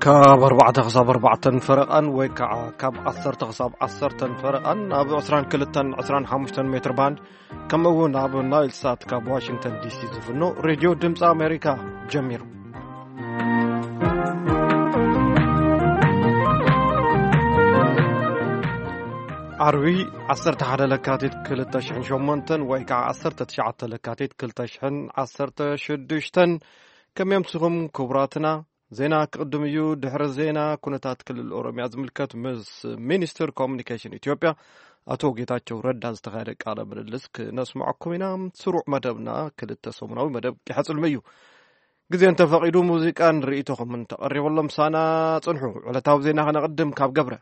ካብ ኣርባዕተ ክሳብ ኣርባዕተን ፈረቓን ወይ ከዓ ካብ ዓሰርተ ክሳብ ዓሰርተን ፈረቓን ኣብ ዕስራን ክልተን ዕስራን ሓሙሽተን ሜትር ባንድ፣ ከምኡ እውን ኣብ ናይል ሳት ካብ ዋሽንግተን ዲ ሲ ዝፍኖ ሬድዮ ድምፂ ኣሜሪካ ጀሚሩ። ዓርቢ ዓሰርተ ሓደ ለካቲት ክልተ ሽሕን ሸሞንተን ወይ ከዓ ዓሰርተ ትሽዓተ ለካቲት ክልተ ሽሕን ዓሰርተ ሽዱሽተን፣ ከመይ ኣምሲኹም ክቡራትና? ዜና ክቕድም እዩ። ድሕሪ ዜና፣ ኩነታት ክልል ኦሮሚያ ዝምልከት ምስ ሚኒስትር ኮሙኒኬሽን ኢትዮጵያ ኣቶ ጌታቸው ረዳ ዝተኻየደ ቃለ ምልልስ ክነስምዐኩም ኢና። ስሩዕ መደብና ክልተ ሰሙናዊ መደብ ቂሐ ጽልሚ እዩ። ግዜ እንተፈቒዱ፣ ሙዚቃን ርእይቶኹምን ተቐሪበሎም ሳና ጽንሑ። ዕለታዊ ዜና ከነቕድም ካብ ገብረ።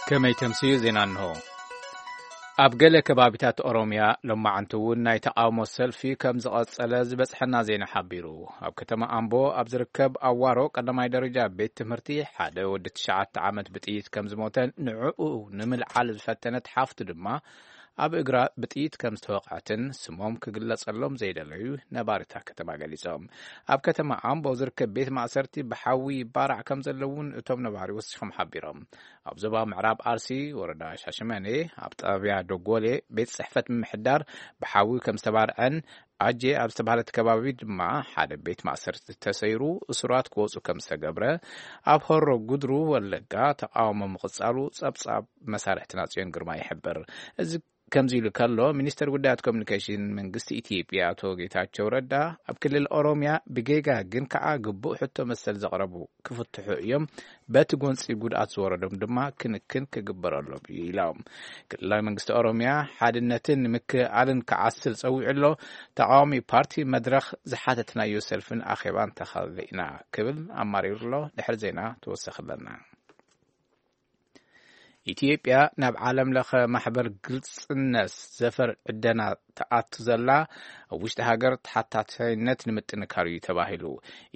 ከመይ ተምስዩ ዜና እንሆ። ኣብ ገለ ከባቢታት ኦሮምያ ሎማዓንቲ እውን ናይ ተቃውሞ ሰልፊ ከም ዝቐጸለ ዝበጽሐና ዜና ሓቢሩ። ኣብ ከተማ ኣምቦ ኣብ ዝርከብ ኣዋሮ ቀዳማይ ደረጃ ቤት ትምህርቲ ሓደ ወዲ ትሽዓተ ዓመት ብጥይት ከም ዝሞተን ንዕኡ ንምልዓል ዝፈተነት ሓፍቱ ድማ ኣብ እግራ ብጥይት ከም ዝተወቕዐትን ስሞም ክግለጸሎም ዘይደለዩ ነባሪታ ከተማ ገሊጾም። ኣብ ከተማ ኣምቦ ዝርከብ ቤት ማእሰርቲ ብሓዊ ይባራዕ ከም ዘለውን እቶም ነባሪ ወሲኾም ሓቢሮም። ኣብ ዞባ ምዕራብ ኣርሲ ወረዳ ሻሸመኔ ኣብ ጣብያ ዶጎሌ ቤት ጽሕፈት ምምሕዳር ብሓዊ ከም ዝተባርዐን ኣጄ ኣብ ዝተባህለት ከባቢ ድማ ሓደ ቤት ማእሰርቲ ተሰይሩ እሱራት ክወጹ ከም ዝተገብረ፣ ኣብ ሆሮ ጉድሩ ወለጋ ተቃውሞ ምቕጻሉ ጸብጻብ መሳርሕትና ጽዮን ግርማ ይሕብር። እዚ ከምዚ ኢሉ ከሎ፣ ሚኒስተር ጉዳያት ኮሚኒኬሽን መንግስቲ ኢትዮጵያ ኣቶ ጌታቸው ረዳ፣ ኣብ ክልል ኦሮሚያ ብጌጋ ግን ከዓ ግቡእ ሕቶ መሰል ዘቕረቡ ክፍትሑ እዮም፣ በቲ ጎንፂ ጉድኣት ዝወረዶም ድማ ክንክን ክግበረሎም እዩ ኢሎም። ክልላዊ መንግስቲ ኦሮሚያ ሓድነትን ምክእኣልን ክዓስል ጸዊዑ ኣሎ። ተቃዋሚ ፓርቲ መድረኽ ዝሓተትናዮ ሰልፍን ኣኼባን ተኻልለ ኢና ክብል ኣማሪሩ ኣሎ። ድሕሪ ዜና ተወሰኺ ኣለና። ኢትዮጵያ ናብ ዓለም ለኸ ማሕበር ግልጽነት ዘፈር ዕደና ትኣቱ ዘላ፣ ኣብ ውሽጢ ሃገር ተሓታታይነት ንምጥንካር እዩ ተባሂሉ።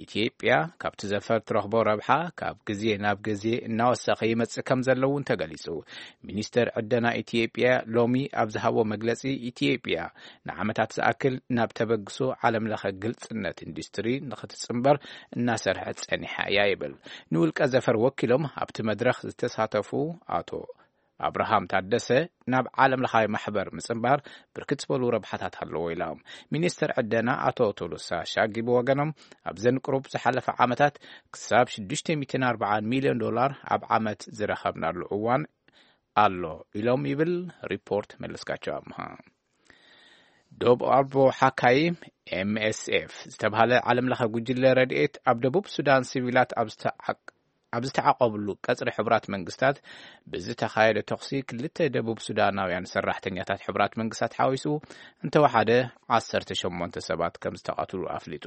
ኢትዮጵያ ካብቲ ዘፈር ትረኽቦ ረብሓ ካብ ግዜ ናብ ግዜ እናወሰኸ ይመጽእ ከም ዘሎ እውን ተገሊጹ። ሚኒስተር ዕደና ኢትዮጵያ ሎሚ ኣብ ዝሃቦ መግለጺ፣ ኢትዮጵያ ንዓመታት ዝኣክል ናብ ተበግሶ ዓለም ለኸ ግልጽነት ኢንዱስትሪ ንኽትጽንበር እናሰርሐት ጸኒሓ እያ ይብል። ንውልቀ ዘፈር ወኪሎም ኣብቲ መድረኽ ዝተሳተፉ ኣቶ ኣብርሃም ታደሰ፣ ናብ ዓለም ለኻዊ ማሕበር ምጽንባር ብርክት ዝበሉ ረብሓታት ኣለዎ ኢሎም። ሚኒስትር ዕደና ኣቶ ቶሎሳ ሻጊ ብወገኖም፣ ኣብዘን ቅሩብ ዝሓለፈ ዓመታት ክሳብ ሽዱሽተ ሚእትን ኣርባዓን ሚልዮን ዶላር ኣብ ዓመት ዝረኸብናሉ እዋን ኣሎ ኢሎም ይብል ሪፖርት መለስካቸው ኣምሃ። ዶብ ኣልቦ ሓካይም ኤም ኤስ ኤፍ ዝተባህለ ዓለም ለኸ ጉጅለ ረድኤት ኣብ ደቡብ ሱዳን ሲቪላት ኣብ ዝተዓቅ-፣ ኣብ ዝተዓቆብሉ ቀጽሪ ሕቡራት መንግስታት ብዝተኻየደ ተኹሲ ክልተ ደቡብ ሱዳናውያን ሰራሕተኛታት ሕቡራት መንግስታት ሓዊሱ እንተወሓደ ዓሰርተ ሸሞንተ ሰባት ከም ዝተቐትሉ ኣፍሊጡ።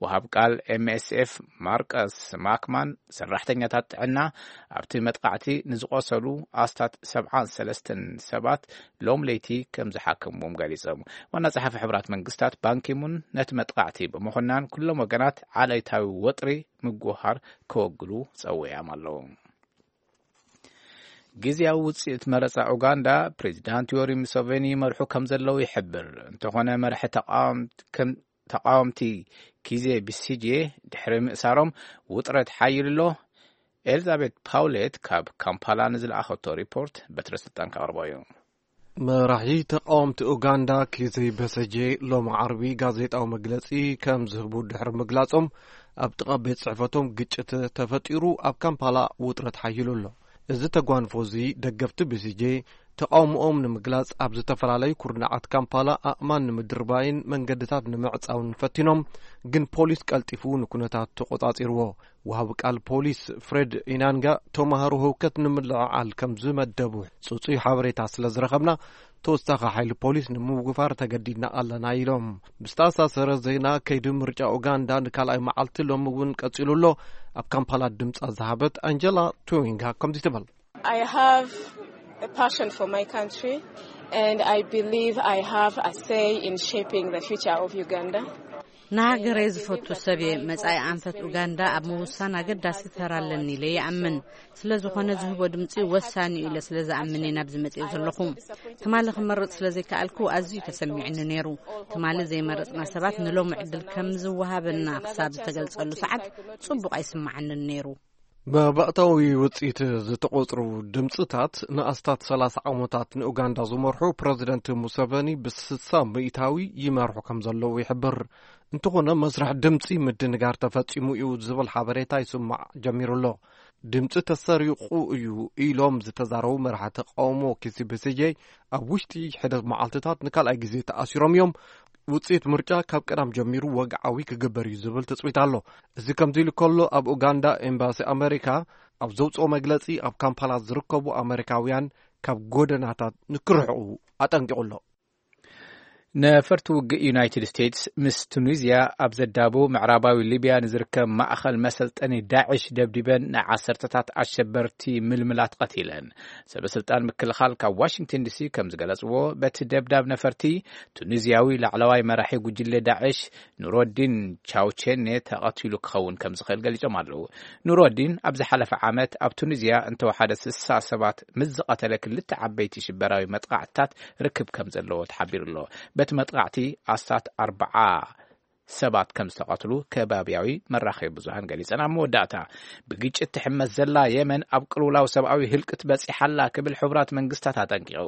ወሃብ ቃል ኤም ኤስ ኤፍ ማርከስ ማክማን ሰራሕተኛታት ጥዕና ኣብቲ መጥቃዕቲ ንዝቆሰሉ ኣስታት ሰብዓን ሰለስተን ሰባት ሎም ለይቲ ከም ዝሓከምዎም ገሊጾም። ዋና ጸሓፊ ሕቡራት መንግስታት ባንኪሙን ነቲ መጥቃዕቲ ብምኹናን ኩሎም ወገናት ዓሌታዊ ወጥሪ ምጉሃር ከወግዱ ጸዊዖም ኣለዉ። ግዜያዊ ውጽኢት መረጻ ኡጋንዳ ፕሬዚዳንት ዮሪ ሙሰቬኒ ይመርሑ ከም ዘለዉ ይሕብር። እንተኾነ መራሒ ተቃወምቲ ከም ተቃወምቲ ኪዜ ቢሲጄ ድሕሪ ምእሳሮም ውጥረት ሓይሉ ኣሎ። ኤልዛቤት ፓውሌት ካብ ካምፓላ ንዝለኣኸቶ ሪፖርት በትረ ስልጣን ከቕርቦ እዩ። መራሒ ተቃወምቲ ኡጋንዳ ኪዜ በሰጄ ሎም ዓርቢ ጋዜጣዊ መግለጺ ከም ዝህቡ ድሕሪ ምግላጾም፣ ኣብ ጥቓ ቤት ጽሕፈቶም ግጭት ተፈጢሩ ኣብ ካምፓላ ውጥረት ሓይሉ ኣሎ። እዚ ተጓንፎ እዚ ደገፍቲ ቢሲጄ ተቃውሞኦም ንምግላጽ ኣብ ዝተፈላለዩ ኩርናዓት ካምፓላ ኣእማን ንምድርባይን መንገድታት ንምዕጻውን ፈቲኖም፣ ግን ፖሊስ ቀልጢፉ ንኩነታት ተቆጻጺርዎ። ወሃቢ ቃል ፖሊስ ፍሬድ ኢናንጋ፣ ተማሃሮ ህውከት ንምልዕዓል ከም ዝመደቡ ጽጹይ ሓበሬታ ስለ ዝረኸብና፣ ተወሳኺ ሓይሊ ፖሊስ ንምውፋር ተገዲድና ኣለና ኢሎም። ብዝተኣሳሰረ ዜና፣ ከይዲ ምርጫ ኡጋንዳ ንካልኣይ መዓልቲ ሎሚ እውን ቀጺሉ ኣሎ። ኣብ ካምፓላ ድምጻ ዝሃበት ኣንጀላ ቱዊንጋ ከምዚ ትብል። I have a passion for my country, and I believe I have a say in shaping the future of Uganda. ንሃገረይ ዝፈቱ ሰብ እየ። መጻኢ ኣንፈት ኡጋንዳ ኣብ ምውሳን ኣገዳሲ ተራ ኣለኒ ኢለ ይኣምን። ስለ ዝኾነ ዝህቦ ድምጺ ወሳኒ እዩ ኢለ ስለ ዝኣምን እየ ናብዚ መጽኤ ዘለኹ። ትማሊ ክመርጽ ስለ ዘይከኣልኩ ኣዝዩ ተሰሚዕኒ ነይሩ። ትማሊ ዘይመረጽና ሰባት ንሎሚ ዕድል ከም ዝወሃበና ክሳብ ዝተገልጸሉ ሰዓት ጽቡቕ ኣይስምዓንን ነይሩ። መባእታዊ ውጽኢት ዝተቖጽሩ ድምጽታት ንኣስታት ሰላሳ ዓመታት ንኡጋንዳ ዝመርሑ ፕረዚደንት ሙሰቨኒ ብስሳ ሚእታዊ ይመርሑ ከም ዘለዉ ይሕብር። እንተኾነ መስርሕ ድምጺ ምድንጋር ተፈጺሙ እዩ ዝብል ሓበሬታ ይስማዕ ጀሚሩ ኣሎ። ድምጺ ተሰሪቑ እዩ ኢሎም ዝተዛረቡ መራሒ ተቃውሞ ኪሲ ብሲጄ ኣብ ውሽጢ ሕደት መዓልትታት ንካልኣይ ግዜ ተኣሲሮም እዮም። ውጽኢት ምርጫ ካብ ቀዳም ጀሚሩ ወግዓዊ ክግበር እዩ ዝብል ትጽቢት ኣሎ። እዚ ከምዚ ኢሉ ከሎ ኣብ ኡጋንዳ ኤምባሲ ኣመሪካ ኣብ ዘውፅኦ መግለጺ ኣብ ካምፓላ ዝርከቡ ኣመሪካውያን ካብ ጎደናታት ንክርሕቑ ኣጠንቂቑ ኣሎ። ነፈርቲ ውግእ ዩናይትድ ስቴትስ ምስ ቱኒዝያ ኣብ ዘዳቡ ምዕራባዊ ሊብያ ንዝርከብ ማእኸል መሰልጠኒ ዳዕሽ ደብዲበን ንዓሰርተታት ኣሸበርቲ ምልምላት ቀቲለን። ሰበ ስልጣን ምክልኻል ካብ ዋሽንግተን ዲሲ ከም ዝገለጽዎ፣ በቲ ደብዳብ ነፈርቲ ቱኒዝያዊ ላዕለዋይ መራሒ ጉጅለ ዳዕሽ ኑሮዲን ቻውቼኔ ተቐቲሉ ክኸውን ከም ዝኽእል ገሊጾም ኣለዉ። ኑሮዲን ኣብ ዝሓለፈ ዓመት ኣብ ቱኒዝያ እንተወሓደ ስሳ ሰባት ምስ ዝቐተለ ክልተ ዓበይቲ ሽበራዊ መጥቓዕትታት ርክብ ከም ዘለዎ ተሓቢሩ ኣሎ። በቲ መጥቓዕቲ ኣስታት ኣርብዓ ሰባት ከም ዝተቐትሉ ከባብያዊ መራኸቢ ብዙሃን ገሊጸን። ኣብ መወዳእታ፣ ብግጭት ትሕመስ ዘላ የመን ኣብ ቅልውላው ሰብኣዊ ህልቅት በጺሓ ኣላ ክብል ሕቡራት መንግስታት ኣጠንቂቑ።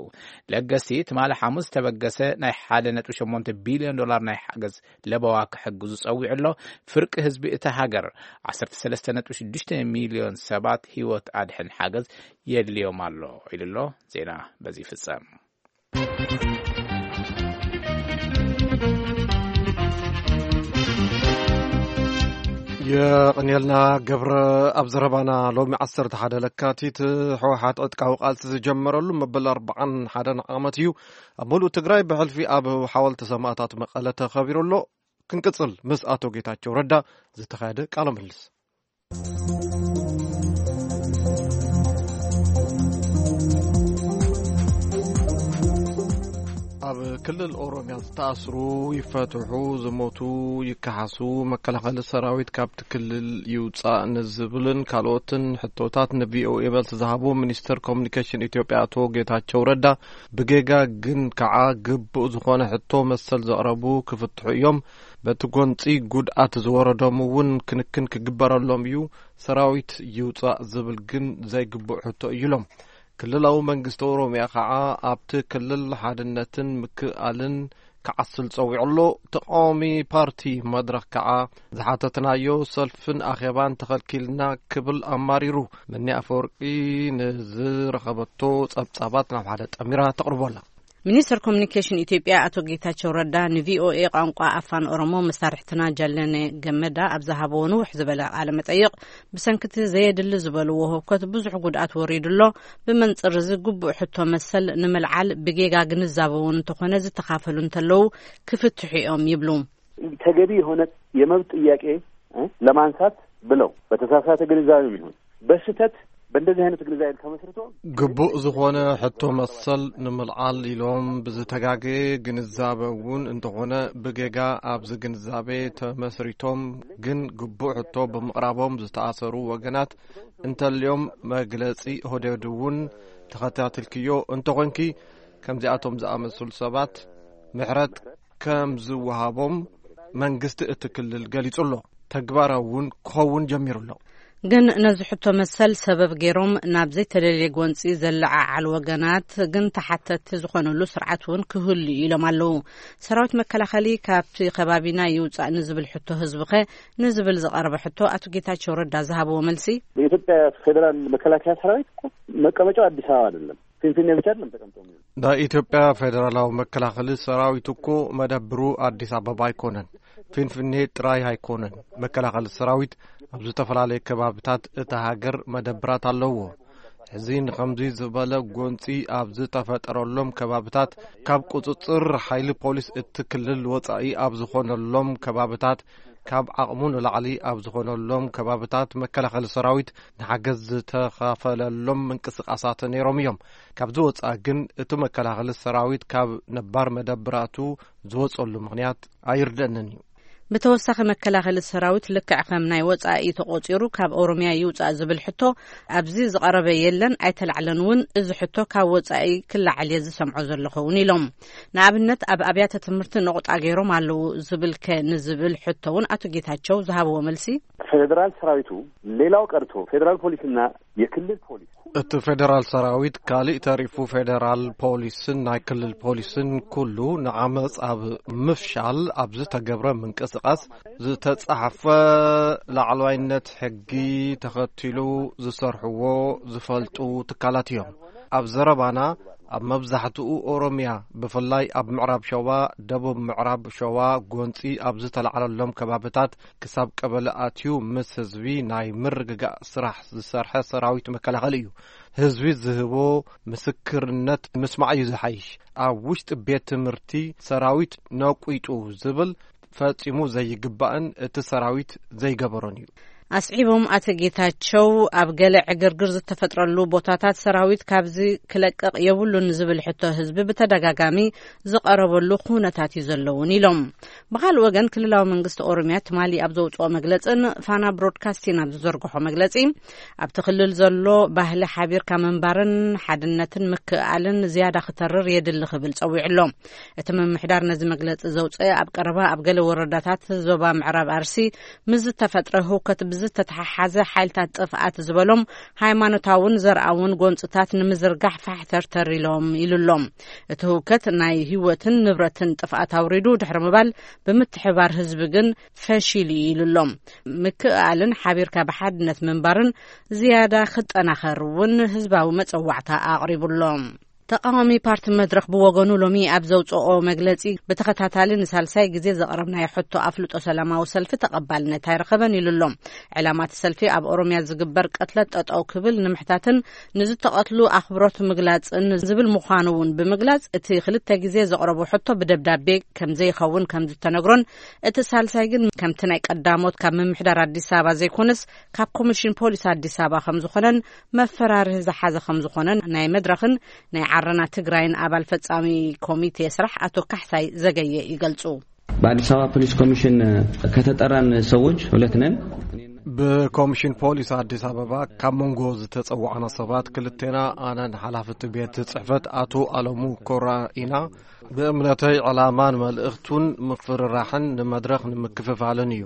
ለገስቲ ትማሊ ሓሙስ ዝተበገሰ ናይ ሓደ ነጥቢ ሸሞንተ ቢልዮን ዶላር ናይ ሓገዝ ለበዋ ክሕግዙ ጸዊዑ ኣሎ። ፍርቂ ህዝቢ እታ ሃገር፣ ዓሰርተ ሰለስተ ነጥቢ ሽዱሽተ ሚልዮን ሰባት ህይወት ኣድሕን ሓገዝ የድልዮም ኣሎ ኢሉ ኣሎ። ዜና በዚ ይፍጸም። የቕንየልና ገብረ። ኣብ ዘረባና፣ ሎሚ ዓሰርተ ሓደ ለካቲት ህወሓት ዕጥቃዊ ቃልሲ ዝጀመረሉ መበል ኣርባዓን ሓደን ዓመት እዩ። ኣብ ሙሉእ ትግራይ ብሕልፊ ኣብ ሓወልቲ ሰማእታት መቐለ ተኸቢሩ ኣሎ። ክንቅጽል ምስ ኣቶ ጌታቸው ረዳ ዝተኻየደ ቃለ ምልልስ። ኣብ ክልል ኦሮሚያ ዝተኣስሩ ይፈትሑ፣ ዝሞቱ ይከሓሱ፣ መከላኸሊ ሰራዊት ካብቲ ክልል ይውጻእ ንዝብልን ካልኦትን ሕቶታት ንቪኦኤ መልሲ ዝሃቡ ሚኒስትር ኮሙኒኬሽን ኢትዮጵያ ኣቶ ጌታቸው ረዳ፣ ብጌጋ ግን ከዓ ግቡእ ዝኾነ ሕቶ መሰል ዘቕረቡ ክፍትሑ እዮም። በቲ ጎንጺ ጉድኣት ዝወረዶም እውን ክንክን ክግበረሎም እዩ። ሰራዊት ይውጻእ ዝብል ግን ዘይግቡእ ሕቶ እዩ ኢሎም። ክልላዊ መንግስቲ ኦሮሚያ ከዓ ኣብቲ ክልል ሓድነትን ምክእኣልን ክዓስል ጸዊዑ ኣሎ። ተቃዋሚ ፓርቲ መድረኽ ከዓ ዝሓተትናዮ ሰልፍን ኣኼባን ተኸልኪልና ክብል ኣማሪሩ። መኒ ኣፈወርቂ ንዝረኸበቶ ጸብጻባት ናብ ሓደ ጠሚራ ተቕርቦ ኣላ። ሚኒስትር ኮሙኒኬሽን ኢትዮጵያ ኣቶ ጌታቸው ረዳ ንቪኦኤ ቋንቋ ኣፋን ኦሮሞ መሳርሕትና ጃለነ ገመዳ ኣብ ዝሃብዎ ንውሕ ዝበለ ቃለ መጠይቕ፣ ብሰንክቲ ዘየድሊ ዝበልዎ ህውከት ብዙሕ ጉድኣት ወሪዱ ኣሎ። ብመንጽር እዚ ግቡእ ሕቶ መሰል ንምልዓል ብጌጋ ግንዛበ እውን እንተኾነ ዝተኻፈሉ እንተለዉ ክፍትሑ እዮም ይብሉ። ተገቢ የሆነ የመብት ጥያቄ እ ለማንሳት ብለው በተሳሳተ ግንዛቤም ይሁን በስህተት በእንደዚህ አይነት ግንዛቤ ተመስርቶ ግቡእ ዝኾነ ሕቶ መሰል ንምልዓል ኢሎም ብዝተጋገየ ግንዛበ እውን እንተኾነ ብጌጋ ኣብዚ ግንዛቤ ተመስሪቶም ግን ግቡእ ሕቶ ብምቕራቦም ዝተኣሰሩ ወገናት እንተልዮም መግለጺ ኦህዴድ እውን ተኸታቲልክዮ እንተኾንኪ ከምዚኣቶም ዝኣመሰሉ ሰባት ምሕረት ከም ዝወሃቦም መንግስቲ እቲ ክልል ገሊጹ ኣሎ። ተግባራዊ እውን ክኸውን ጀሚሩ ኣሎ። ግን ነዚ ሕቶ መሰል ሰበብ ገይሮም ናብ ዘይተደልየ ጎንጺ ዘለዓዓሉ ወገናት ግን ተሓተትቲ ዝኾነሉ ስርዓት እውን ክህሉ እዩ ኢሎም ኣለዉ። ሰራዊት መከላኸሊ ካብቲ ከባቢና ይውጻእ ንዝብል ሕቶ ህዝቢ ኸ ንዝብል ዝቐረበ ሕቶ ኣቶ ጌታቸው ረዳ ዝሃብዎ መልሲ፣ የኢትዮጵያ ፌዴራል መከላከያ ሰራዊት እኮ መቀመጫው አዲስ አበባ አይደለም፣ ፊንፊኔ ብቻ አይደለም ተቀምጦ የሚውል። ናይ ኢትዮጵያ ፌዴራላዊ መከላኸሊ ሰራዊት እኮ መደብሩ ኣዲስ ኣበባ ኣይኮነን፣ ፊንፊኔ ጥራይ ኣይኮነን። መከላኸሊ ሰራዊት ኣብ ዝተፈላለየ ከባብታት እታ ሃገር መደብራት ኣለዎ። ሕዚ ንኸምዚ ዝበለ ጎንፂ ኣብ ዝተፈጠረሎም ከባብታት ካብ ቁፅፅር ሓይሊ ፖሊስ እቲ ክልል ወፃኢ ኣብ ዝኾነሎም ከባብታት ካብ ዓቕሙ ንላዕሊ ኣብ ዝኾነሎም ከባብታት መከላኸሊ ሰራዊት ንሓገዝ ዝተኻፈለሎም ምንቅስቓሳት ነይሮም እዮም። ካብዚ ወፃኢ ግን እቲ መከላኸሊ ሰራዊት ካብ ነባር መደብራቱ ዝወፀሉ ምኽንያት ኣይርደእንን እዩ። ብተወሳኺ፣ መከላኸሊ ሰራዊት ልክዕ ከም ናይ ወጻኢ ተቖጺሩ ካብ ኦሮምያ ይውጻእ ዝብል ሕቶ ኣብዚ ዝቐረበ የለን፣ ኣይተላዕለን እውን። እዚ ሕቶ ካብ ወጻኢ ክለዓል እየ ዝሰምዖ ዘለኹ እውን ኢሎም። ንኣብነት፣ ኣብ ኣብያተ ትምህርቲ ነቑጣ ገይሮም ኣለዉ ዝብል ከ ንዝብል ሕቶ እውን ኣቶ ጌታቸው ዝሃብዎ መልሲ፣ ፌዴራል ሰራዊቱ፣ ሌላው ቀርቶ ፌዴራል ፖሊስና የክልል ፖሊስ እቲ ፌዴራል ሰራዊት፣ ካልእ ተሪፉ ፌዴራል ፖሊስን ናይ ክልል ፖሊስን ኩሉ ንዓመፅ ኣብ ምፍሻል ኣብ ዝተገብረ ምንቅስቃስ ዝተፃሕፈ ላዕለዋይነት ሕጊ ተኸቲሉ ዝሰርሕዎ ዝፈልጡ ትካላት እዮም። ኣብ ዘረባና፣ ኣብ መብዛሕትኡ ኦሮምያ፣ ብፍላይ ኣብ ምዕራብ ሸዋ፣ ደቡብ ምዕራብ ሸዋ፣ ጎንፂ ኣብ ዝተላዕለሎም ከባብታት ክሳብ ቀበሌ ኣትዩ ምስ ህዝቢ ናይ ምርግጋእ ስራሕ ዝሰርሐ ሰራዊት መከላኸሊ እዩ። ህዝቢ ዝህቦ ምስክርነት ምስማዕ እዩ ዝሓይሽ። ኣብ ውሽጢ ቤት ትምህርቲ ሰራዊት ነቂጡ ዝብል ፈጺሙ ዘይግባእን እቲ ሰራዊት ዘይገበሮን እዩ። ኣስዒቦም ኣቶ ጌታቸው፣ ኣብ ገለ ዕግርግር ዝተፈጥረሉ ቦታታት ሰራዊት ካብዚ ክለቅቕ የብሉን ዝብል ሕቶ ህዝቢ ብተደጋጋሚ ዝቐረበሉ ኩነታት እዩ ዘለውን ኢሎም። ብኻልእ ወገን፣ ክልላዊ መንግስቲ ኦሮምያ ትማሊ ኣብ ዘውፅኦ መግለፅን ፋና ብሮድካስቲን ኣብ ዝዘርግሖ መግለፂ፣ ኣብቲ ክልል ዘሎ ባህሊ ሓቢርካ ምንባርን ሓድነትን ምክእኣልን ዝያዳ ክተርር የድሊ ክብል ጸዊዑ ኣሎ። እቲ ምምሕዳር ነዚ መግለጺ ዘውፅአ፣ ኣብ ቀረባ ኣብ ገለ ወረዳታት ዞባ ምዕራብ ኣርሲ ምስ ዝተፈጥረ ህውከት ብዝተተሓሓዘ፣ ሓይልታት ጥፍኣት ዝበሎም ሃይማኖታውን ዘርኣውን ጎንፅታት ንምዝርጋሕ ፋሕተርተር ኢሎም ኢሉ ኣሎ። እቲ ህውከት ናይ ህይወትን ንብረትን ጥፍኣት ኣውሪዱ ድሕሪ ምባል፣ ብምትሕባር ህዝቢ ግን ፈሺሉ እዩ ኢሉ ኣሎ። ምክእኣልን ሓቢርካ ብሓድነት ምንባርን ዝያዳ ክጠናኸር እውን ህዝባዊ መጸዋዕታ ኣቕሪቡ ኣሎ። ተቃዋሚ ፓርቲ መድረኽ ብወገኑ፣ ሎሚ ኣብ ዘውፅኦ መግለጺ፣ ብተኸታታሊ ንሳልሳይ ግዜ ዘቕረብናዮ ሕቶ ኣፍልጦ ሰላማዊ ሰልፊ ተቐባልነት ኣይረኸበን ኢሉ ኣሎ። ዕላማ እቲ ሰልፊ ኣብ ኦሮምያ ዝግበር ቅትለት ጠጠው ክብል ንምሕታትን ንዝተቐትሉ ኣኽብሮት ምግላጽን ዝብል ምዃኑ እውን ብምግላጽ፣ እቲ ክልተ ግዜ ዘቕረቦ ሕቶ ብደብዳቤ ከም ዘይኸውን ከም ዝተነግሮን፣ እቲ ሳልሳይ ግን ከምቲ ናይ ቀዳሞት ካብ ምምሕዳር ኣዲስ ኣበባ ዘይኮነስ ካብ ኮሚሽን ፖሊስ ኣዲስ ኣበባ ከም ዝኾነን መፈራርሂ ዝሓዘ ከም ዝኾነን ናይ መድረኽን ናይ ዓረና ትግራይን ኣባል ፈጻሚ ኮሚቴ ስራሕ ኣቶ ካሕሳይ ዘገየ ይገልጹ። በአዲስ አበባ ፖሊስ ኮሚሽን ከተጠራን ሰዎች ሁለት ነን። ብኮሚሽን ፖሊስ ኣዲስ ኣበባ ካብ መንጎ ዝተጸዋዕና ሰባት ክልቴና፣ ኣነን ሓላፊ እቲ ቤት ጽሕፈት ኣቶ ኣለሙ ኮራ ኢና። ብእምነተይ ዕላማን መልእኽቱን ምፍርራሕን ንመድረኽ ንምክፍፋልን እዩ።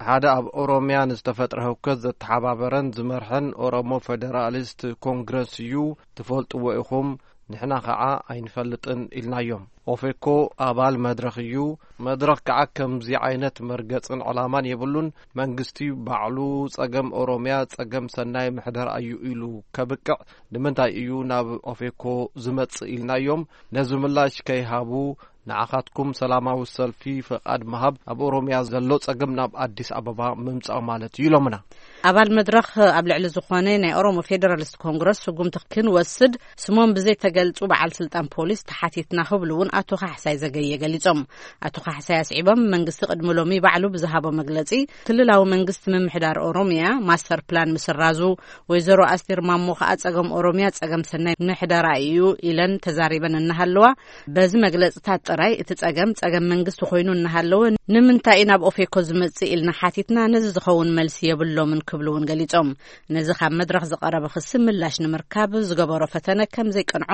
ሓደ ኣብ ኦሮምያ ንዝተፈጥረ ህውከት ዘተሓባበረን ዝመርሐን ኦሮሞ ፌዴራሊስት ኮንግረስ እዩ፣ ትፈልጥዎ ኢኹም። ንሕና ከዓ ኣይንፈልጥን ኢልናዮም። ኦፌኮ ኣባል መድረኽ እዩ። መድረኽ ከዓ ከምዚ ዓይነት መርገፅን ዕላማን የብሉን። መንግስቲ ባዕሉ ጸገም ኦሮምያ ጸገም ሰናይ ምሕደራ እዩ ኢሉ ከብቅዕ ንምንታይ እዩ ናብ ኦፌኮ ዝመጽእ ኢልናዮም። ነዚ ምላሽ ከይሃቡ፣ ንዓኻትኩም ሰላማዊ ሰልፊ ፈቓድ ምሃብ ኣብ ኦሮምያ ዘሎ ጸገም ናብ ኣዲስ ኣበባ ምምጻእ ማለት እዩ ኢሎምና። ኣባል መድረኽ ኣብ ልዕሊ ዝኾነ ናይ ኦሮሞ ፌደራሊስት ኮንግረስ ስጉምቲ ክንወስድ ስሞም ብዘይተገልጹ በዓል ስልጣን ፖሊስ ተሓቲትና ክብሉ እውን ኣቶ ካሕሳይ ዘገየ ገሊጾም። ኣቶ ካሕሳይ ኣስዒቦም፣ መንግስቲ ቅድሚ ሎሚ ባዕሉ ብዝሃቦ መግለጺ፣ ክልላዊ መንግስቲ ምምሕዳር ኦሮምያ ማስተር ፕላን ምስራዙ፣ ወይዘሮ ኣስቴር ማሞ ከኣ ጸገም ኦሮምያ ጸገም ሰናይ ምሕደራ እዩ ኢለን ተዛሪበን እናሃለዋ፣ በዚ መግለጽታት ጥራይ እቲ ጸገም ጸገም መንግስቲ ኮይኑ እናሃለወ፣ ንምንታይ እዩ ናብ ኦፌኮ ዝመጽእ ኢልና ሓቲትና፣ ነዚ ዝኸውን መልሲ የብሎምን ክብሉ እውን ገሊጾም። ነዚ ካብ መድረኽ ዝቐረበ ክሲ ምላሽ ንምርካብ ዝገበሮ ፈተነ ከም ዘይቀንዖ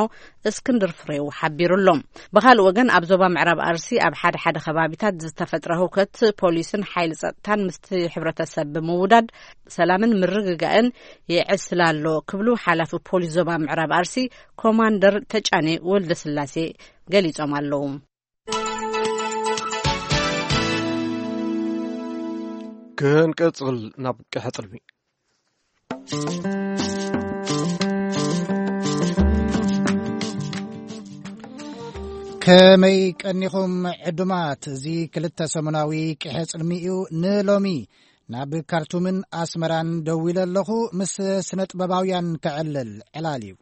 እስክንድር ፍሬው ሓቢሩ ኣሎ። ብኻልእ ወገን፣ ኣብ ዞባ ምዕራብ ኣርሲ ኣብ ሓደ ሓደ ከባቢታት ዝተፈጥረ ህውከት ፖሊስን ሓይሊ ጸጥታን ምስቲ ሕብረተሰብ ብምውዳድ ሰላምን ምርግጋእን የዕስል ኣሎ ክብሉ ሓላፊ ፖሊስ ዞባ ምዕራብ ኣርሲ ኮማንደር ተጫኔ ወልደስላሴ ገሊጾም ኣለዉ። ክንቅጽል ናብ ቀሕጽልሚ። ከመይ ቀኒኹም ዕዱማት? እዚ ክልተ ሰሙናዊ ቅሐ ጽልሚ እዩ። ንሎሚ ናብ ካርቱምን ኣስመራን ደዊለ ኣለኹ። ምስ ስነ ጥበባውያን ከዕልል ዕላል እዩ።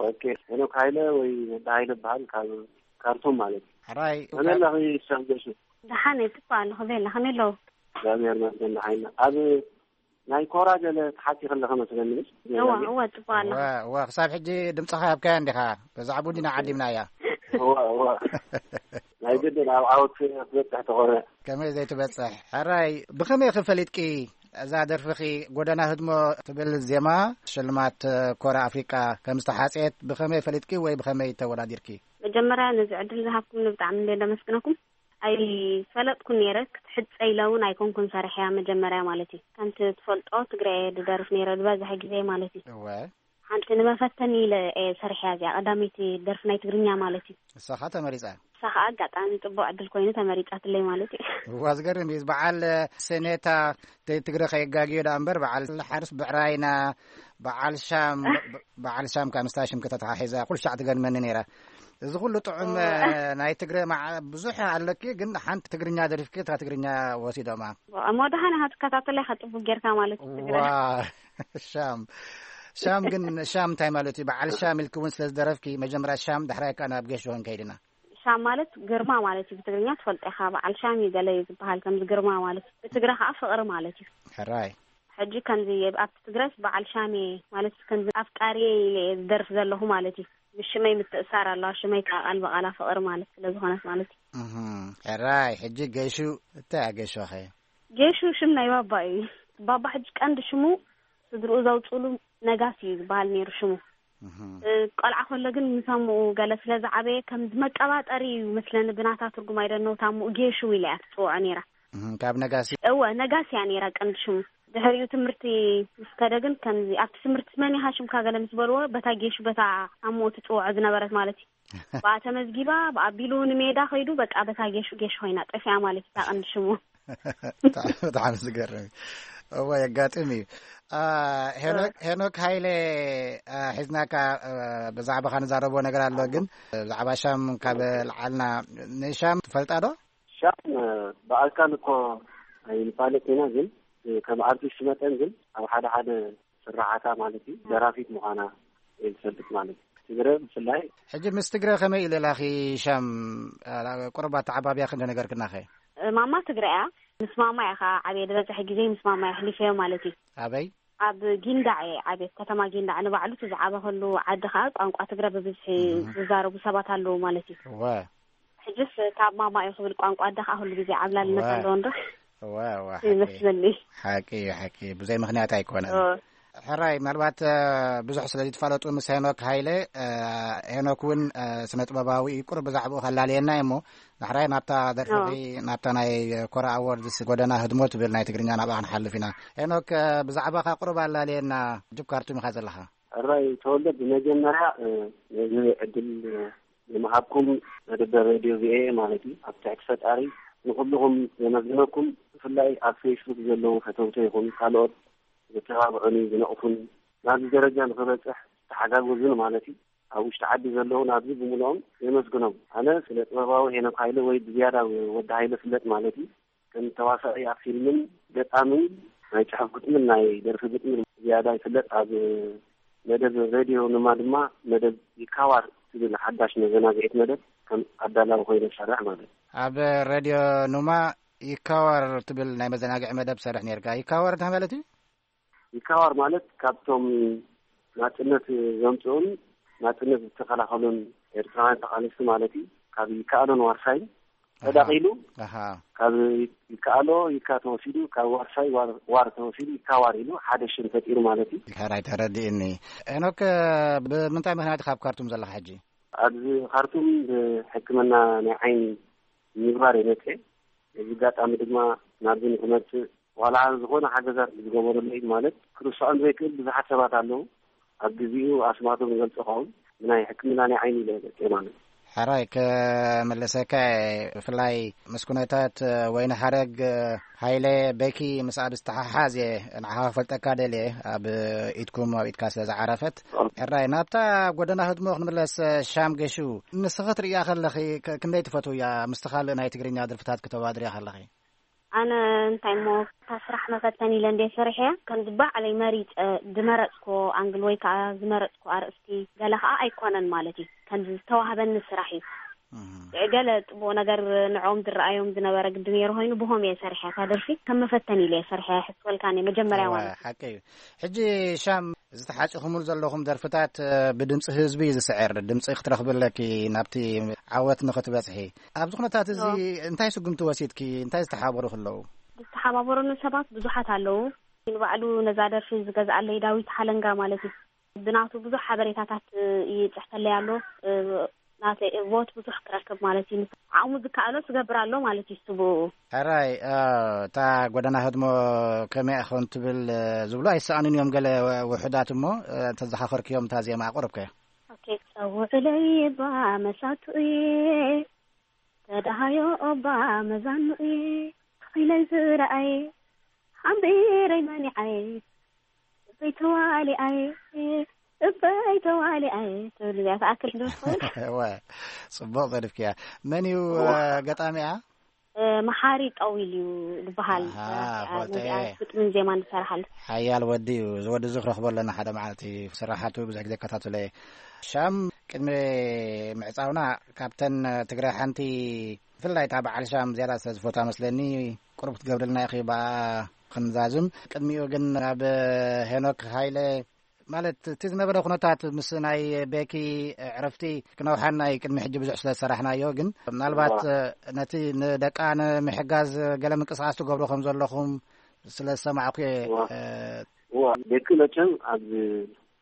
ኦኬ፣ ሄኖክ ሃይለ ወይ ወዲ ሃይለ በሃል፣ ካብ ካርቱም ማለት እዩ። ሕራይ። ከመይ ኣለኺ ሻምገሹ? ደሓን እየ፣ ጽቡቕ ኣለኹ። ቤላ፣ ከመይ ኣለዉ? እግዚኣብሔር ይመስገን፣ ደሓን ኢና። ኣብ ናይ ኮራ ገለ ትሓቲ ከለኸ መስለኒ። እዋ፣ እዋ፣ ጽቡቕ ኣለኻ። እዋ፣ እዋ፣ ክሳብ ሕጂ ድምጽኻ ኣብካያ እንዲኻ። ብዛዕባኡ እንዲና ዓዲምናያ። እዋ፣ እዋ። ናይ ግድን ኣብ ዓወት ክትበጽሕ ተኾነ። ከመይ ዘይትበጽሕ? ሕራይ፣ ብኸመይ ኢኺ ፈሊጥኪ እዛ ደርፍኺ ጎደና ህድሞ ትብል ዜማ ሽልማት ኮራ ኣፍሪቃ ከም ዝተሓጽየት ብኸመይ ፈሊጥኪ ወይ ብኸመይ ተወዳዲርኪ? መጀመርያ ነዚ ዕድል ዝሃብኩምኒ ብጣዕሚ እንደ ነመስግነኩም። ኣይፈለጥኩን ነይረ፣ ክትሕጸ ኢለ እውን ኣይኮንኩን ሰሪሐያ መጀመርያ ማለት እዩ። ከምቲ ትፈልጦ ትግረ እየ ዝደርፍ ነይረ ዝበዝሐ ግዜ ማለት እዩ። እወ። ሓንቲ ንመፈተኒ ኢለ እየ ሰሪሐያ እዚኣ ቀዳመይቲ ደርፊ ናይ ትግርኛ ማለት እዩ። እሳ ኸኣ ተመሪጻ? እሳ ኸኣ ኣጋጣሚ ጽቡቕ ዕድል ኮይኑ ተመሪጻትለይ ማለት እዩ። እዋ፣ ዝገርም እዩ። በዓል ሰኔታ ተ-፣ ትግረ ከየጋግዮ ደኣ እምበር፣ በዓል ሓርስ ብዕራይና፣ በዓል ሻም፣ በዓል ሻም ካብ ምስታ ሽም ከተተሓሒዛ ኩሉ ሻዕ ትገርመኒ ነይራ። እዚ ኩሉ ጥዑም፣ ኦ። እ፣ ናይ ትግረ መዓ-፣ ብዙሕ ኣለኪ፣ ግን ሓንቲ ትግርኛ ደሪፍኪ፣ እታ ትግርኛ ወሲዶማ። እሞ ደሓን ኢኻ ትከታተለይ፣ ከጽቡቅ ጌርካ ማለት እዩ ትግረ። ዋ፣ ሻም። ሻም ግን፣ ሻም እንታይ ማለት እዩ? በዓል ሻም ኢልኪ እውን ስለ ዝደረፍኪ፣ መጀመርያ ሻም፣ ዳሕራይ ከኣ ናብ ጌሾ ክንከይድ ኢና። ሻም ማለት ግርማ ማለት እዩ ብትግርኛ፣ ትፈልጦ ኢኻ። በዓል ሻም እዩ ገለ እዩ ዝበሃል፣ ከምዚ ግርማ ማለት እዩ። ብትግረ ከኣ ፍቕሪ ማለት እዩ። ሕራይ። ሕጂ ከምዚ ኣብቲ ትግረስ በዓል ሻም እየ ማለት፣ ከምዚ ኣፍቃሪ እየ ኢለ እየ ዝደርፍ ዘለኹ ማለት እዩ። ምስ ሽመይ ምትእሳር ኣለዋ። ሽመይ ከኣ ቃል ብቓላ ፍቕሪ ማለት ስለ ዝኾነት ማለት እዩ። እህ፣ ሕራይ፣ ሕጂ ገሹ እንታይ እያ ገሹ ኸ? ጌሹ ሽም ናይ ባባ እዩ። ባባ ሕጂ ቀንዲ ሽሙ ስድርኡ ዘውፅሉ ነጋሲ እዩ ዝበሃል ነይሩ ሽሙ። እህ። እ፣ ቆልዓ ከሎ ግን ምስ ኣሙኡ ገለ ስለ ዝዓበየ ከም መቀባጠሪ እዩ መስለኒ፣ ብናታ ትርጉም ኣይደነው፣ ታሙኡ ጌሹ ኢላ እያ ትፅውዖ ነይራ። እህ፣ ካብ ነጋሲ? እወ፣ ነጋሲ እያ ነይራ ቀንዲ ሽሙ። ድሕሪኡ ትምህርቲ ምስ ከደ ግን ከምዚ ኣብቲ ትምህርቲ መን ኢኻ ሽምካ ገለ ምስ በልዎ፣ በታ ጌሹ በታ ኣሙኡ ትፅውዖ ዝነበረት ማለት እዩ። ብኣ ተመዝጊባ፣ ብኣቢሉ ንሜዳ ከይዱ፣ በቃ በታ ጌሹ ጌሹ ኮይና ጠፊኣ ማለት እዩ፣ እታ ቀንዲ ሽሙ። ብጣዕሚ፣ ብጣዕሚ ዝገርም እዩ። እወ፣ የጋጥም እዩ። አ፣ ሄኖክ፣ እ። ሄኖክ ሃይለ፣ አ፣ ሒዝናካ፣ አ፣ ብዛዕባኻ ንዛረቦ ነገር ኣሎ፣ ግን ብዛዕባ ሻም ካብ ለዓልና፣ ንሻም ትፈልጣ ዶ? ሻም፣ አ፣ ብኣካል እኮ ኣይንፋለጥ ኢና፣ ግን፣ እ፣ ከም ኣርቲስት መጠን ግን ኣብ ሓደ ሓደ ስራሓታ ማለት እዩ፣ ደራፊት ምዃና እየ ዝፈልጥ ማለት እዩ። ትግረ ብፍላይ። ሕጂ ምስ ትግረ ከመይ ኢሉ ላኺ ሻም፣ አ፣ ቁሩብ ኣተዓባብያ ክንደ ነገርክናኸ? ማማ ትግረ እያ። ምስ ማማ እያ ኸዓ ዓብየ፣ ዝበዝሐ ግዜ ምስ ማማ እየ ኣሕሊፈዮ ማለት እዩ። ኣበይ? ኣብ ጊንዳዕ እየ ዓብየ፣ ከተማ ጊንዳዕ ንባዕሉ እቲ ዝዓበኸሉ ዓዲ ኸዓ ቋንቋ ትግረ ብብዝሒ እህ። ዝዛረቡ ሰባት ኣለዉ ማለት እዩ። እወ። ሕጅስ ካብ ማማ እዩ ክብል ቋንቋ ኣደ ኸዓ ኩሉ ግዜ ዓብላልነት እወ። ኣለዎ እንዶ? እወ፣ እወ፣ ሓቂ። ይመስለኒ። ሓቂ እዩ፣ ሓቂ እዩ። ብዘይ ምኽንያት ኣይኮነን። እወ። ሕራይ፣ ምናልባት፣ እ፣ ብዙሕ ስለ ዘይትፋለጡ ምስ ሄኖክ ሃይለ፣ እ፣ ሄኖክ እውን፣ እ፣ ስነ ጥበባዊ እዩ። ቁሩብ ብዛዕባኡ ከላልየና እዩ እሞ፣ ዳሕራይ ናብታ ደርፍኺ፣ እወ። ናብታ ናይ ኮራ ኣዎርድስ ጎደና ህድሞ ትብል ናይ ትግርኛ ናብኣ ክንሓልፍ ኢና። ሄኖክ፣ እ፣ ብዛዕባኻ ቁሩብ ኣላልየና፣ ጅብ ካርቱም ኢኻ ዘለኻ። ሕራይ ተወልደ፣ ብመጀመርያ፣ እ፣ ነዚ ዕድል፣ እ፣ ንምሃብኩም መደበር ሬድዮ ቪኦኤ ማለት እዩ። ኣብ ትሕቲ ፈጣሪ ንኹልኹም የመስግነኩም። ብፍላይ ኣብ ፌስቡክ ዘለዉ ፈተውተይ ይኹን ካልኦት ዘተባብዑኒ፣ ዝነቕፉኒ፣ ናብዚ ደረጃ ንኽበጽሕ ዝተሓጋገዙኒ ማለት እዩ። ኣብ ውሽጢ ዓዲ ዘለዉ ናብዚ ብምልኦም የመስግኖም። ኣነ ስነ ጥበባዊ ሄኖክ ሃይለ ወይ ብዝያዳ ወዲ ሃይለ ፍለጥ ማለት እዩ። ከም ተዋሳኢ ኣብ ፊልምን ገጣምን ናይ ጽሑፍ ግጥምን ናይ ደርፊ ግጥምን ዝያዳ ይፍለጥ። ኣብ መደብ ሬድዮ ንማ ድማ መደብ ይካዋር ትብል ሓዳሽ መዘናግዒት መደብ ከም ኣዳላዊ ኮይነ ዝሰርሕ ማለት እዩ። ኣብ ሬድዮ ኑማ ይካዋር ትብል ናይ መዘናግዒ መደብ ትሰርሕ ነርካ። ይካዋር እንታይ ማለት እዩ? ይካዋር ማለት ካብቶም ናጽነት ዘምጽኡን ናጽነት ዝተኸላኸሉን ኤርትራውያን ተቓለስቲ ማለት እዩ። ካብ ይከኣሎን ዋርሳይን ተዳቒሉ ኣሃ። ካብ ይከኣሎ ይካ ተወሲዱ፣ ካብ ዋርሳይ ዋር፣ ዋር ተወሲዱ ይካዋር ኢሉ ሓደ ሽም ፈጢሩ ማለት እዩ። ሕራይ ተረዲእኒ። ሄኖክ፣ ብምንታይ ምኽንያት ካብ ካርቱም ዘለኻ ሕጂ? ኣብዚ ካርቱም ብሕክምና ናይ ዓይኒ ንምግባር እየ መፅኤ። እዚ ኣጋጣሚ ድማ ናብዚ ንክመፅእ ዋላ ዝኾነ ሓገዛት ዝገበረለይ ማለት ክርስዖም ዘይክእል ብዙሓት ሰባት ኣለዉ። ኣብ ግዜኡ ኣስማቶም ይገልጾ ኸውን ብናይ ሕክምና ናይ ዓይኒ ኢለ መፅኤ ማለት እዩ። ሕራይ ክምልሰካ እየ። ብፍላይ ምስ ኩነታት ወይኒ ሓረግ ሃይለ በኪ ምስኣ ብዝተሓሓዝ እየ ንዓኻ ክፈልጠካ ደልየ፣ ኣብ ኢድኩም ኣብ ኢድካ ስለ ዝዓረፈት። ሕራይ ናብታ ጎደና ህድሞ ክንምለስ። ሻም ገሹ፣ ንስኺ ትርእያ ከለኺ ክ-፣ ክንደይ ትፈትውያ ምስቲ ካልእ ናይ ትግርኛ ደርፍታት ክተወዳድርያ ከለኺ? ኣነ እንታይ እሞ፣ እታ ስራሕ መፈተኒ ኢለ እንድየ ሰሪሐያ፣ ከምዚ ባዕለይ መሪጸ ዝመረጽክዎ ኣንግል ወይ ከኣ ዝመረጽክዎ ኣርእስቲ ገለ ከኣ ኣይኮነን ማለት እዩ። ከምዚ ዝተዋህበኒ ስራሕ እዩ። እህ። ገለ ጽቡቕ ነገር ንዕኦም ዝረኣዮም ዝነበረ ግዲ ነይሩ ኮይኑ፣ ብሆም እየ ሰሪሐ። እታ ደርፊ ከም መፈተኒ ኢለ እየ ሰሪሐ። ሕስወልካ እኔ መጀመርያ እዋ፣ ማለት እዩ። ሓቂ እዩ። ሕጂ ሻም፣ ዝተሓጺኹምሉ ዘለኹም ደርፍታት፣ እ፣ ብድምጺ ህዝቢ እዩ ዝስዕር። ድምጺ ክትረኽቢ ኣለኪ ናብቲ ዓወት ንኽትበጽሒ። ኣብዚ ኩነታት እዚ እዎ። እንታይ ስጉምቲ ወሲድኪ? እንታይ ዝተሓባበሩ ኣለዉ? ዝተሓባበሩኒ ሰባት ብዙሓት ኣለዉ። ንባዕሉ ነዛ ደርፊ ዝገዝኣለይ ዳዊት ሓለንጋ ማለት እዩ። ብናቱ ብዙሕ ሓበሬታታት፣ እ፣ ይጽሕፈለይ ኣሎ። እ፣ ናተይ ቮት ብዙሕ ክረክብ ማለት እዩ። ዓቕሙ ዝከኣሎ ዝገብር ኣሎ ማለት እዩ፣ እሱ ብኡ። ሕራይ፣ እ፣ እታ ጎደና ህድሞ ከመይ ኢያ ኾን ትብል፣ እ፣ ዝብሉ ኣይሰኣኑን እዮም ገለ ውሑዳት እሞ፣ እ፣ እንተዘኻኸርክዮም እታ ዜማ ኣቕርብከ? ኦኬ። ጸውዕለይ እባ መሳቱ'የ፣ ተደሃዮ እባ መዛኑ'የ፣ ኢለይ ዝረኣየ፣ ሓምቢረይ መኒዓየ፣ እበይ ተዋሊኣየ፣ እበይ ተዋሊኣየ፣ ትብል እዚኣ ትኣክል ዶ ትኸውን? እወ፣ ጽቡቕ ዘድፍክያ። መን እዩ፣ እወ። እ፣ ገጣሚኣ? እ፣ መሓሪ ጠዊል እዩ ዝበሃል። ኣሃ፣ እዚኣ ፎቶ ነዚኣ እየ። ግጥምን ዜማን ዝሰርሓሉ። ሓያል ወዲ እዩ። እዚ ወዲ እዚ ክረኽቦ ኣለና ሓደ መዓልቲ። ስራሓቱ ብዙሕ ግዜ እከታተሎ እየ። ሻም፣ ቅድሚ ምዕጻውና ካብተን ትግረ ሓንቲ፣ ብፍላይ እታ በዓል ሻም ዝያዳ ስለ ዝፈትዋ መስለኒ፣ ቁሩብ ክትገብርልና ኢኺ ብኣ ክንዛዝም። ቅድሚኡ ግን ናብ ሄኖክ ሃይለ፣ ማለት እቲ ዝነበረ ኩነታት ምስ ናይ ቤኪ ዕረፍቲ ክነውሓና እዩ። ቅድሚ ሕጂ ብዙሕ ስለ ዝሰራሕናዮ፣ ግን ምናልባት እዋ። ነቲ ንደቃ ንምሕጋዝ ገለ ምንቅስቓስ ትገብሩ ከም ዘለኹም ስለ ዝሰማዕኩ እየ። እዋ። እ፣ እዋ፣ ቤኪ መቸም ኣብ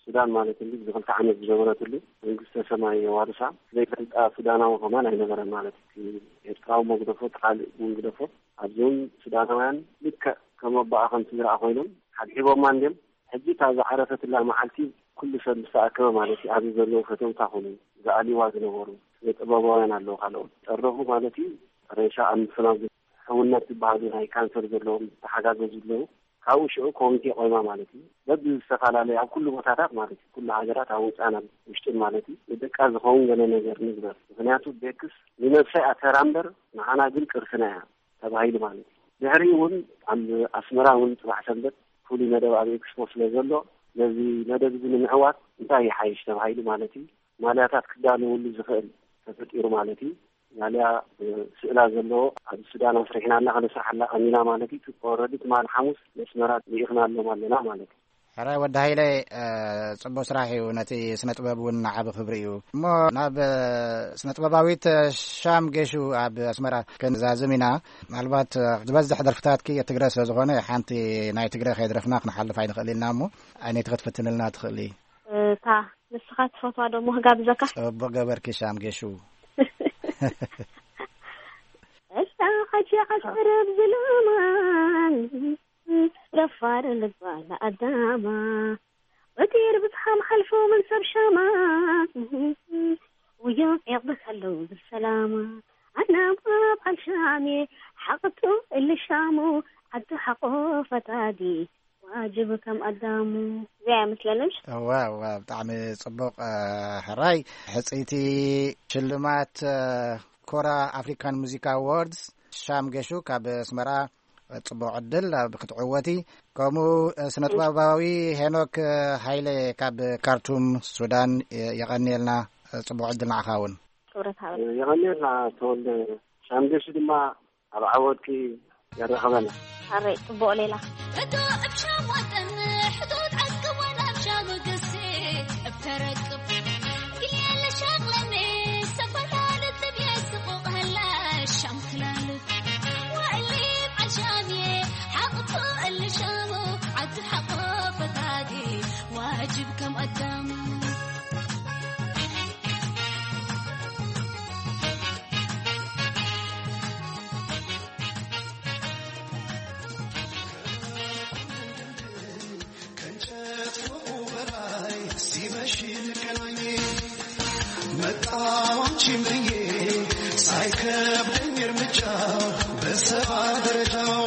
ሱዳን ማለት እንዲ ብክልተ ዓመት ዝነበረትሉ መንግስተ ሰማይ የዋርሳ። ዘይፈልጣ ሱዳናዊ ከማን ኣይነበረን ማለት እዩ። ኤርትራዊ መግደፎ፣ ካልእ እውን ግደፎ። ኣብዚ እውን ሱዳናውያን ልክዕ ከም ኣቦኣ ከም ስድራኣ ኮይኖም ሓድሒቦማ እንድዮም። ሕጂ እታ ዝዓረፈትላ መዓልቲ ኩሉ ሰብ ምስ ተኣከበ ማለት እዩ፣ ኣብዚ ዘለዉ ፈተውታ ኮኑ ዝኣልይዋ ዝነበሩ ስነ ጥበባውያን ኣለዉ፣ ካልኦት ጠረፉ ማለት እዩ። ሬሳ ኣብ ምፍናው ሕውነት ዝበሃሉ ናይ ካንሰር ዘለዎም ዝተሓጋገዙ ኣለዉ። ካብኡ ሽዑ ኮሚቴ ቆይማ ማለት እዩ። በብዝተፈላለዩ ኣብ ኩሉ ቦታታት ማለት እዩ፣ ኩሉ ሃገራት ኣብ ውፃን ኣብ ውሽጥን ማለት እዩ፣ ንደቃ ዝኸውን ገለ ነገር ንግበር። ምኽንያቱ ቤክስ ንነብሳ እያ ተራ እምበር ንዓና ግን ቅርስና እያ ተባሂሉ ማለት እዩ። ድሕሪኡ እውን ኣብ ኣስመራ እውን ጽባሕ ሰንበት ፍሉይ መደብ ኣብ ኤክስፖ ስለ ዘሎ፣ ነዚ መደብ እዚ ንምዕዋት እንታይ ይሓይሽ ተባሂሉ ማለት እዩ፣ ማልያታት ክዳለወሉ ዝኽእል ተፈጢሩ ማለት እዩ። ማልያ፣ እ፣ ስእላ ዘለዎ ኣብ ሱዳን ኣስሪሕና ኣላ፣ ከነስርሓላ ቀኒና ማለት እዩ። ኦረዲ ትማሊ ሓሙስ መስመራት ልኢኽናሎም ኣለና ማለት እዩ። ሕራይ ወዲ ሃይለ፣ እ፣ ጽቡቅ ስራሕ እዩ። ነቲ ስነ ጥበብ እውን ዓቢ ክብሪ እዩ። እሞ ናብ፣ እ፣ ስነ ጥበባዊት ሻም ጌሹ ኣብ ኣስመራ ክንዛዝም ኢና። ምናልባት፣ እ፣ ዝበዝሕ ደርፍታትኪ ትግረ ስለ ዝኾነ ሓንቲ ናይ ትግረ ከየድረፍና ክንሓልፍ ኣይንኽእል ኢልና እሞ፣ ዓይነይቲ ክትፍትንልና ትኽእሊ? እታ ንስኻ ትፈትዋ ዶ እሞ ክጋብዘካ? ጽቡቅ ገበርኪ ሻም ጌሹ። እታ ሓጂ ዓሰርብ ዝለማ፣ ደፋር ልባ ለኣዳማ፣ ወዲር ብዝሓም ሓልፎ ምን ሰብ ሻማ፣ ውዮ የቕበስ ኣለዉ ዝሰላማ፣ ኣናማ በዓል ሻሜ፣ ሓቕቱ እልሻሙ፣ ዓዲ ሓቆ ፈታዲ፣ ዋጅብ ከም ኣዳሙ። እዚኣ እያ መስለኒ። እወ፣ እወ፣ ብጣዕሚ ጽቡቕ፣ እ፣ ሕራይ። ሕጽይቲ ሽልማት፣ እ፣ ኮራ ኣፍሪካን ሙዚክ ኣዋርድስ ሻም ገሹ ካብ ኣስመራ፣ እ፣ ጽቡቕ ዕድል ኣብ ክትዕወቲ። ከምኡ፣ እ፣ ስነ ጥበባዊ ሄኖክ፣ እ፣ ሃይለ ካብ ካርቱም ሱዳን፣ እ፣ የቐንየልና። እ፣ ጽቡቕ ዕድል ንዓኻ እውን። ክብረት ሃበል። የቐንየልና ተወልደ። ሻም ገሹ ድማ ኣብ ዓወትኪ የራኽበና። ኣረይ ጽቡቕ ሌላ። እቶ እብ ሻም ወጠን ሕቶት ዓስከወን ኣብ ሻም ገሴ እብ ተረክብ። ግልያለ ሻቕለኒ ሰፈራ ልጥብ የስቑቕ ህላ ሻም ክላልብ። ወእሊ ዓል ሻምየ ሓቕቶ እሊ ሻሙ ዓዲ ሓቆ ፈታዲ ዋጅብ ከም ኣዳሙ። ከእንጨት ፎቁ በላይ ሲመሽ እንገናኝ። መጣሁ አንቺን ብዬ ሳይከብደኝ እርምጃው በሰባ ደረጃው።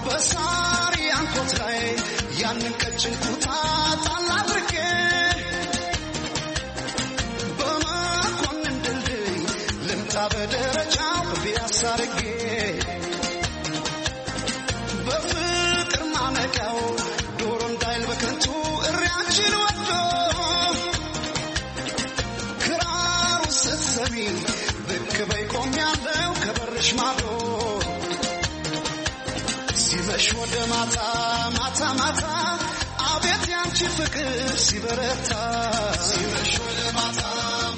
በሳሪ አንኮት ላይ ያንን ቀጭን ኩታ ጣል አድርጌ በመኮንን ድልድይ በደረጃው ቢያሳርጌ በፍቅር ማነቂያው ዶሮ እንዳይል በከንቱ እሪያችን ወዶ ክራሩ ስትሰሚ ብቅ በይ ቆሜያለሁ ከበርሽ ማዶ ሲመሽ ወደ ማታ ማታ ማታ አቤት ያንቺ ፍቅር ሲበረታ ሲመሽ ወደ ማታ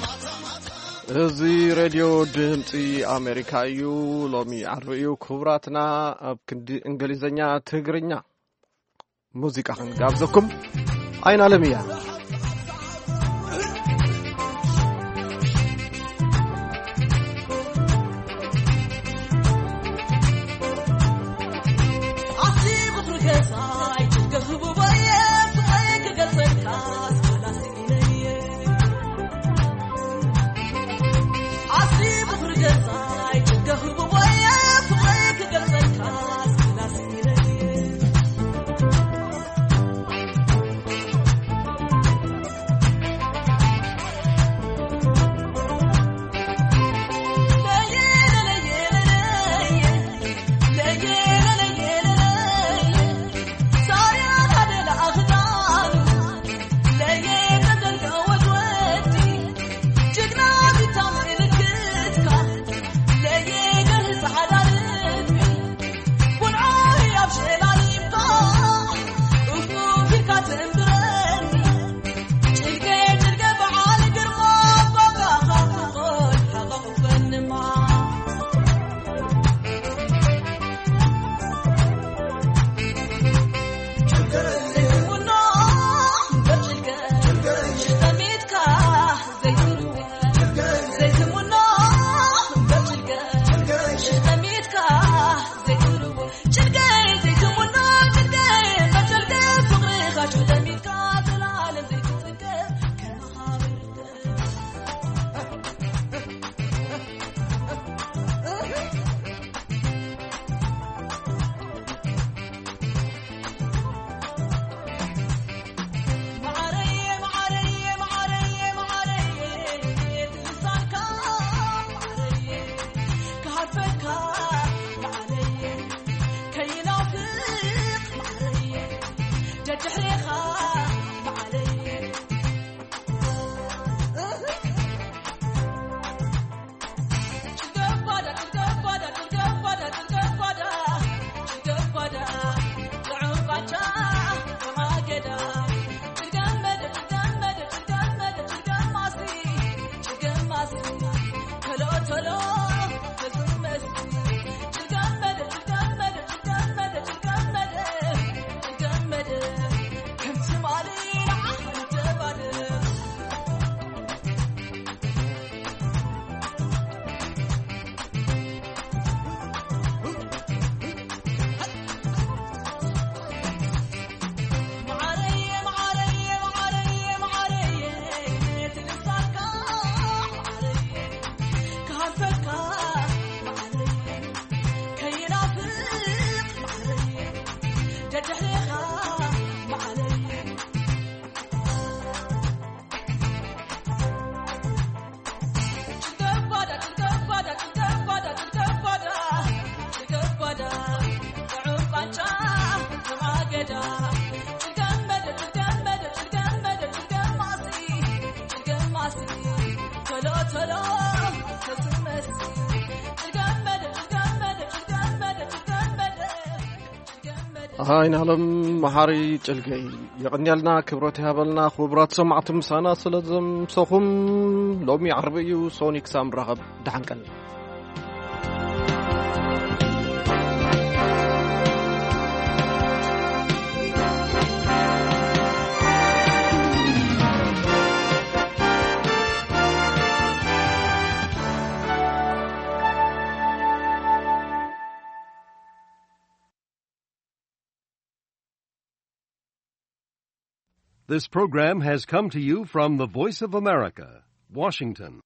ማታ ማታ እዚ ሬድዮ ድምፂ ኣሜሪካ እዩ። ሎሚ ዓርቢ እዩ። ክቡራትና ኣብ ክንዲ እንግሊዝኛ ትግርኛ ሙዚቃ ክንጋብዘኩም። ኣይን ኣለም እያ። ኣይናለም መሓሪ ጭልገይ የቐንየልና፣ ክብረት ይሃበልና። ክቡራት ሰማዕቲ ምሳና ስለ ዘምሰኹም፣ ሎሚ ዓርቢ እዩ። ሶኒ ክሳብ ንራኸብ ደሓን ቀኒ። This program has come to you from the Voice of America, Washington.